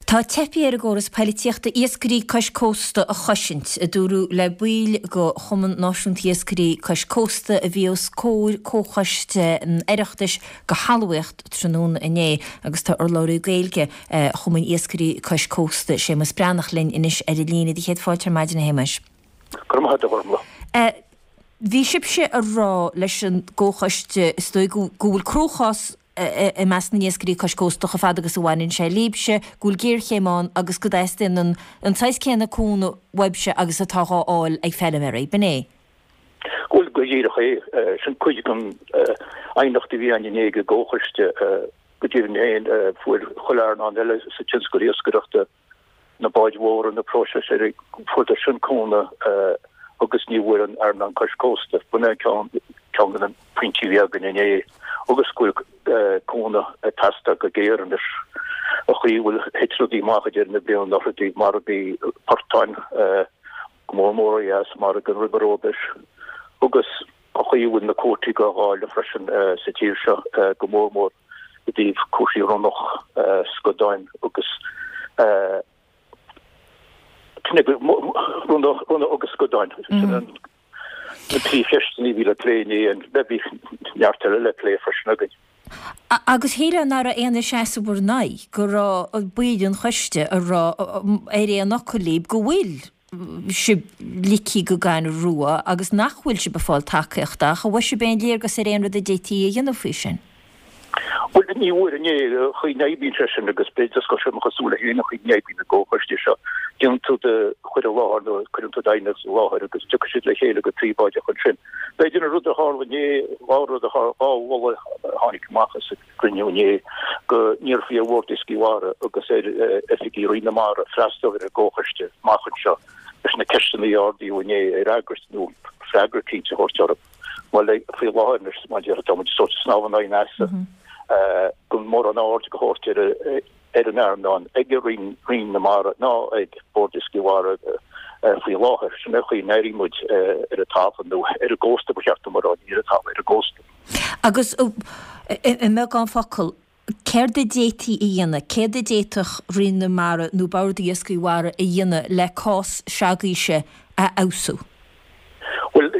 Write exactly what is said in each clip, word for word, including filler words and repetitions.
Tá teipthe ar an gcóras poilitíochta iascairí cois cósta a chosaint, a dúradh le baill de Chumann Náisiúnta Iascairí Cois Cósta a bhí os comhair Comhchoiste an Oireachtais do Thalmhaíocht tráthnóna inné agus tá urlabhraí Gaeilge Chumann Iascairí Cois Cósta, Séamus Breathnach linn anois ar an líne. Do chéad fáilte ar maidin a Shéamais. Go raibh maith agat a Ghormfhlaith. Bhí sibhse ag rá leis an gComhchoiste is dóigh go bhfuil cruachás i measc na n-iascairí cois cósta chomh fada agus a bhaineann sé libhse, go bhfuil géarchéim ann agus go dteastaíonn an an saghas céanna cúnamh uaibhse agus atá dhá fháil ag feilméaraí. B'in é? Bhuel, go díreach é. Sin cuid den aighneacht a bhí ann inné ag an gComhchoiste. Go deimhin féin, fuair chuile earnáil eile sa tionscal iascaireachta, na báid mhóra, na próiseasóirí, fuaireadar sin cúnamh agus ní bhfuair an earnáil cois cósta. B'in é ceann ceann de na pointí a bhí againn inné agus go bhfuil cúnamh ag teastáil go géar anois. An chaoi a bhfuil thit rudaí amach i ndeireadh na bliana anuraidh i dtaobh margaí portáin, go mór mór ó dheas, margadh an ribe róbais agus an chaoi a bhfuil na cuótaí dhá dháileadh freisin sa tír seo, go mór mór i dtaobh cúrsaí ronnach, scadáin agus ronnach agus scadáin. Sin an na trí cheisteanna a bhí le plé inné, bhí neart eile le plé freisin againn. Agus shílfeá nach raibh aon seasamh bhur n-aghaidh, go raibh baill an choiste ag rá ar aon fhocal libh go bhfuil sibh ligthe go gaineamh rua agus nach bhfuil sibh ag fáil tacaíochta, ach an bhfuair sibh aon léargas ar aon rud a d'fhéadfaí a dhéanamh faoi sin? Bhuel, ní bhfuair inné, an chaoi a n-oibríonn sé sin agus b'fhéidir go bhfuil sé cosúil le haon chaoi a n-oibríonn an gcomhchoiste seo, déanann tú do chur i láthair nó cuireann tú d'aighneacht i láthair agus tiocfaidh siad le chéile go príobháideach ansin. B'fhéidir an rud a tharla inné, dhá rud a tharla, dhá mholadh a tháinig amach as an gcruinniú inné, go n-iarrfaí ar Bhord Iascaigh Mhara agus ar oifigigh Roinn na Mara freastal ar an gcomhchoiste amach anseo leis na ceisteanna a ardaíodh inné a fhreagairt nó freagra cinnte a thabhairt orthu. Bhuel, faoi láthair anois, mar a déarfá, tá muid sórt ag snámh in aghaidh an easa, gan mórán aird a thabhairt ar ar an earnáil ag Roinn Roinn na Mara ná ag Bord Iascaigh Mhara faoi láthair. Sin é an chaoi a n-airíonn muid ar an talamh nó ar an gcósta, ba cheart dom a rá, ní ar an talamh, ar an gcósta. Agus i mbeagán focal, Céard a d'fhéadfaí a dhéanamh, céard a d'fhéadfadh Roinn na Mara nó Bord Iascaigh Mhara a dhéanamh le cás s'agaibhse a fheabhsú? Bhuel,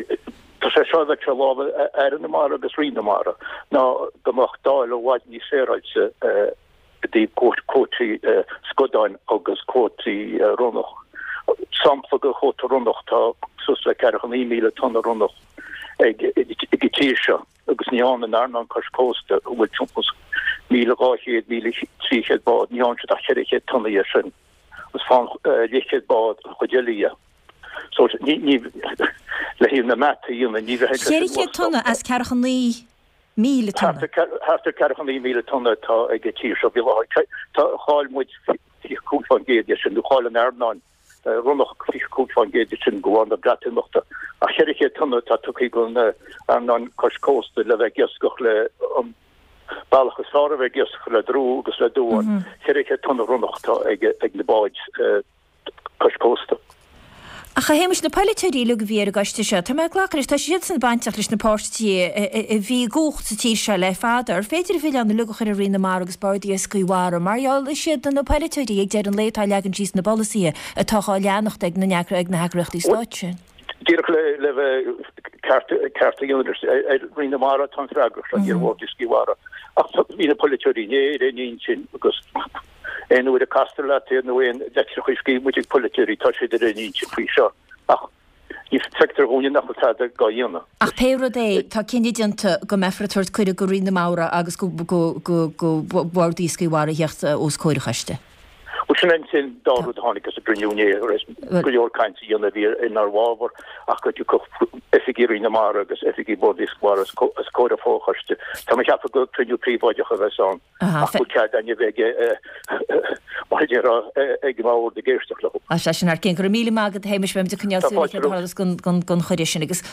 tá sé seo bheadh sé i lámha Aire na Mara agus Roinn na Mara ná go mbeadh dáileadh i bhfad níos féaráilte i dtaobh cuótaí scadáin agus cuótaí ronnach. Sampla de chuóta ronnach, tá suas le ceathracha naoi míle tonna ronnach ag an tír seo. agus ní dhearna an earnáil cois cósta, a bhfuil timpeall is míle dhá chéad, míle trí chéad bád, ní dhearna siad ach ceithre chéad tonna dhe sin, agus faigheann leathchéad bád an chuid eile dhe. So, ní, ní, le haghaidh na mata a dhéanamh, ní bheidh sé sin Ceithre chéad tonna as ceathracha naoi míle tonna? Thart ar, thart ar ceathracha naoi míle tonna atá ag an tír seo faoi láthair. Tá, chaill muid fiche cúig fán gcéad dhe sin, nó chaill an earnáil ronnach fiche cúig fán gcéad de sin de bharr na Breatimeachta. Ach ceithre chéad tonna atá tugtha don earnáil cois cósta le bheith ag iascach le an bealach is fearr a bheith ag iascach le drú agus le duán. Ceithre chéad tonna ronnach atá ag na báid cois cósta. Ach a Shéamais, na polaiteoirí uilig a bhí ar an gcoiste seo, tá mé ag glacadh leis, tá siadsan bainteach leis na páirtithe a bhí i gcumhacht sa tír seo le fada. Ar féidir an milleán uilig a chur ar Roinn na Mara agus Bord Iascaigh Mhara mar gheall is iad na polaiteoirí ag deireadh an lae atá ag leagan síos na bpolasaithe atá á leanacht ag na ag na heagraíochtaí stáit sin? Díreach le le bheith ceart ceart a dhéanamh ar Roinn na Mara atá an freagracht seo, ní ar Bhord Iascaigh Mhara. Ach bhí na polaiteoirí inné ar aon intinn agus Aon uair a castar leat iad nó aon litreacha a scríobh muid ag polaiteoirí, tá siad ar aon intinn faoi seo. Ach ní feictear dhúinne nach bhfuil tada dhá dhéanamh. Ach pé rud é, tá cinneadh déanta go mbeifear ag tabhairt cuireadh go Roinn na Mara agus go Bord Iascaigh Mhara a theacht os comhair an choiste. Bhuel, sin é an dá rud a tháinig as an gcruinniú inné, tar éis go leor cainte a dhéanamh a bhí inár bhfabhar ach go dtiocfadh oifigigh Roinn na Mara agus oifigigh Bhord Iascaigh Mhara os comhair an fho-choiste. Tá mé ag ceapadh gur cruinniú príobháideach a bheas ann. Ach bhfuil cead againn a bheith mar a déarfá ag an mbord ag éisteacht leo. Sea, sin thar cionn. Go raibh míle maith agat, a Shéamais, beimid ag coinneáil súil ar céard a tharlós don chuireadh sin agus.